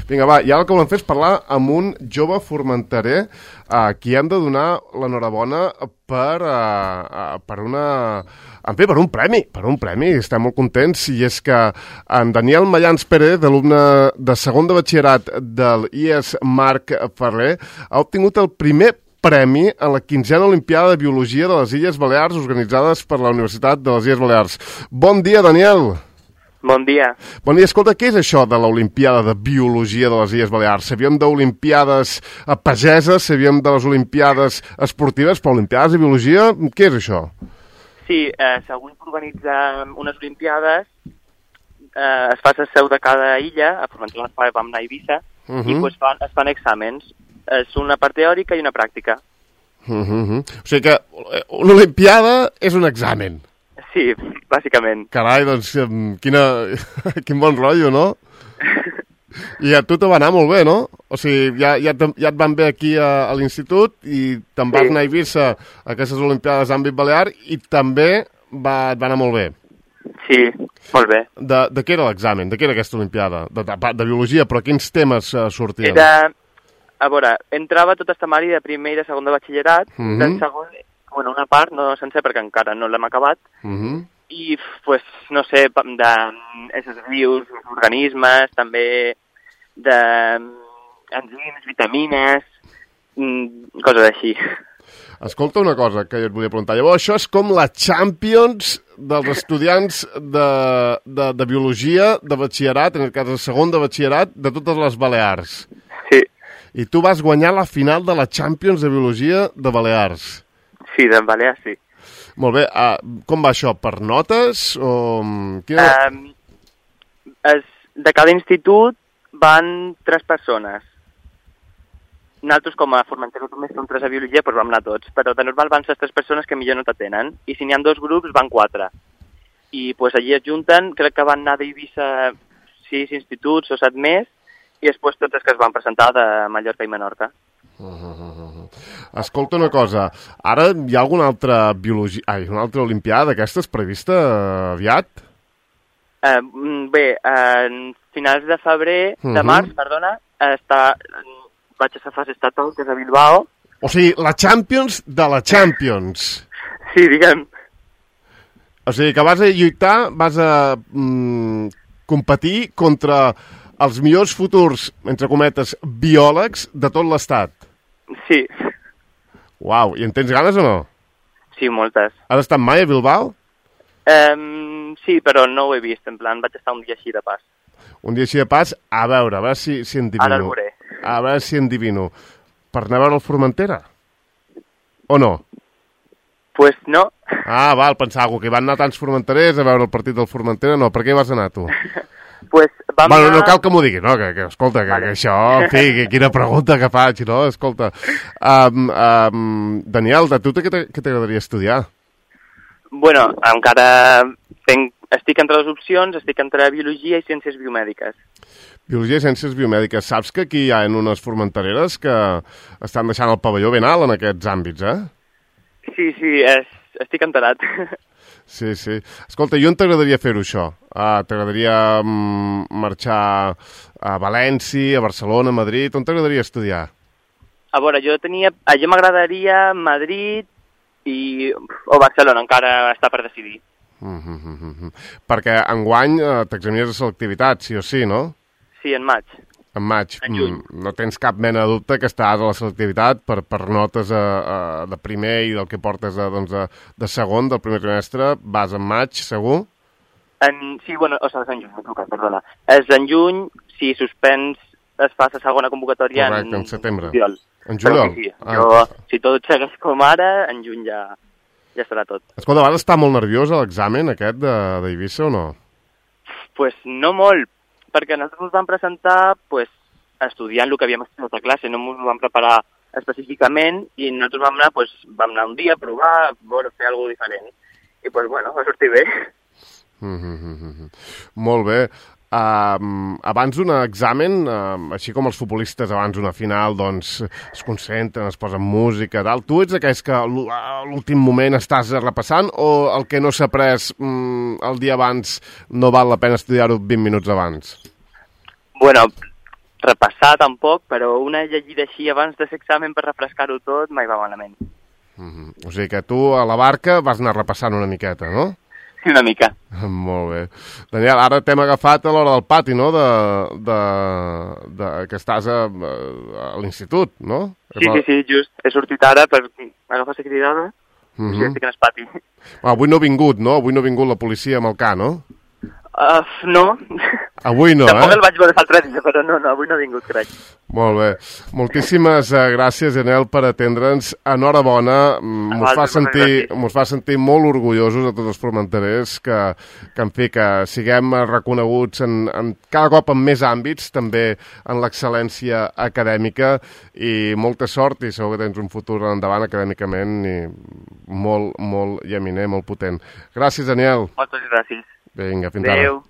Vinga, va, i ara el que volem fer és parlar amb un jove formenterer a qui hem de donar l'enhorabona per un premi, estem molt contents, i és que en Daniel Mayans Pérez, alumne de segon de batxillerat del IES Marc Ferrer, ha obtingut el primer premi a la 15a Olimpiada de Biologia de les Illes Balears, organitzades per la Universitat de les Illes Balears. Bon dia, Daniel! Bon dia. Bon dia. Escolta, què és això de l'Olimpiada de Biologia de les Illes Balears? Sabíem d'Olimpiades pageses, sabíem de les Olimpiades esportives, però Olimpiades de Biologia, què és això? Sí, segons organitzar unes Olimpiades, es fa la seu de cada illa, a Formentera vam anar a Eivissa, i pues es fan exàmens. És una part teòrica i una pràctica. O sigui que una Olimpiada és un examen. Sí, bàsicament. Carai, doncs, quin bon rotllo, no? I a tu te va anar molt bé, no? O sigui, ja et van bé aquí a l'institut i te'n vas anar a Eivissa a aquestes Olimpiades d'àmbit balear i també et va anar molt bé. Sí, molt bé. De què era l'examen? De què era aquesta Olimpiada? De biologia, però quins temes sortien? A veure, entrava tot el temari de primer i de segon de batxillerat, del segon, una part, no sencer, perquè encara no l'hem acabat, i, pues, no sé, d'éssers vius, organismes, també d'enzims, vitamines, coses així. Escolta una cosa que jo et volia preguntar. Llavors, això és com la Champions dels estudiants de biologia de batxillerat, en el cas de segon de batxillerat, de totes les Balears. Sí. I tu vas guanyar la final de la Champions de biologia de Balears. Sí, de Balears, sí. Molt bé. Com va això? Per notes? O... De cada institut van 3 persones. Nosaltres, com a Formentera només som 3 a biologia, doncs vam anar tots. Però de normal van ser 3 persones que millor no t'atenen. I si n'hi ha 2 grups, van 4. I doncs allí es junten, crec que van anar d'Eivissa 6 instituts o 7 més, i després tots els que es van presentar de Mallorca i Menorca. Escolta una cosa, ara hi ha alguna altra una altra Olimpiada d'aquestes prevista aviat? Bé, en finals de febrer, de març, perdona, vaig a la fase estatal, que és a Bilbao. O sigui, la Champions de la Champions. Sí, diguem. O sigui, que vas a lluitar, vas a competir contra els millors futurs, entre cometes, biòlegs de tot l'estat. Sí. Uau, i en tens ganes o no? Sí, moltes. Has estat mai a Bilbao? Sí, però no ho he vist, en plan, vaig estar un dia així de pas. Un dia així de pas, a veure si endivino. Ara el veuré. A veure si endivino. Per anar a veure el Formentera? O no? Pues no. Val, pensava que hi van anar tants formenterers a veure el partit del Formentera. No, per què hi vas anar, tu? Pues vam anar... No cal que m'ho diguis, no? Que escolta, vale. Que això, en fi, quina pregunta que faig, no? Escolta, Daniel, a tu què t'agradaria estudiar? Bueno, encara estic entre les opcions, estic entre biologia i ciències biomèdiques. Biologia i ciències biomèdiques. Saps que aquí hi ha unes formentereres que estan deixant el pavelló ben alt en aquests àmbits, eh? Sí, estic enterat. Sí. Escolta, i on t'agradaria fer-ho, això? T'agradaria marxar a València, a Barcelona, a Madrid? On t'agradaria estudiar? A veure, jo m'agradaria Madrid o Barcelona, encara està per decidir. Perquè enguany t'examines de selectivitat, sí o sí, no? Sí, en maig. En maig. En juny. No tens cap mena de dubte que estàs a la selectivitat per notes de primer i del que portes de segon, del primer trimestre. Vas en maig, segur? Sí, bueno, és en juny, m'he trucat, perdona. És en juny, si suspens es fa la segona convocatòria. Correcte, en setembre. Juliol. En juliol? Sí. Si tot segueix com ara, en juny ja estarà tot. Escolta, vas estar molt nerviós a l'examen aquest d'Eivissa o no? Pues no molt, perquè nosaltres ens vam presentar estudiant el que havíem estudiat a classe, no ens vam preparar específicament i nosaltres vam anar un dia a provar, fer alguna cosa diferent. I va sortir bé. Molt bé. Abans d'un examen, així com els futbolistes abans d'una final, doncs es concentren, es posen música, tal. Tu ets aquells que a l'últim moment estàs repassant o el que no s'ha après el dia abans no val la pena estudiar-ho 20 minuts abans? Bueno, repassar tampoc, però una llegida així abans de l'examen per refrescar-ho tot mai va malament. O sigui que tu a la barca vas anar repassant una miqueta, no? Sí, una mica. Molt bé. Daniel, ara t'hem agafat a l'hora del pati, no?, que estàs a l'institut, no? Sí, just. He sortit ara per agafar la cridada i estic en el pati. Avui no ha vingut, no? Avui no ha vingut la policia amb el ca, no? No. Avui no, Tampoc el vaig veure l'altre dia, però no, avui no ha vingut, crec. Molt bé. Moltíssimes gràcies, Janel, per atendre'ns. Enhorabona. Mos fa sentir molt orgullosos a tots els formenterers que en fi, que siguem reconeguts cada cop en més àmbits, també en l'excel·lència acadèmica, i molta sort, i segur que tens un futur endavant acadèmicament i molt, molt llaminer, molt potent. Gràcies, Daniel. Moltes gràcies. Vinga, fins ara. Adéu.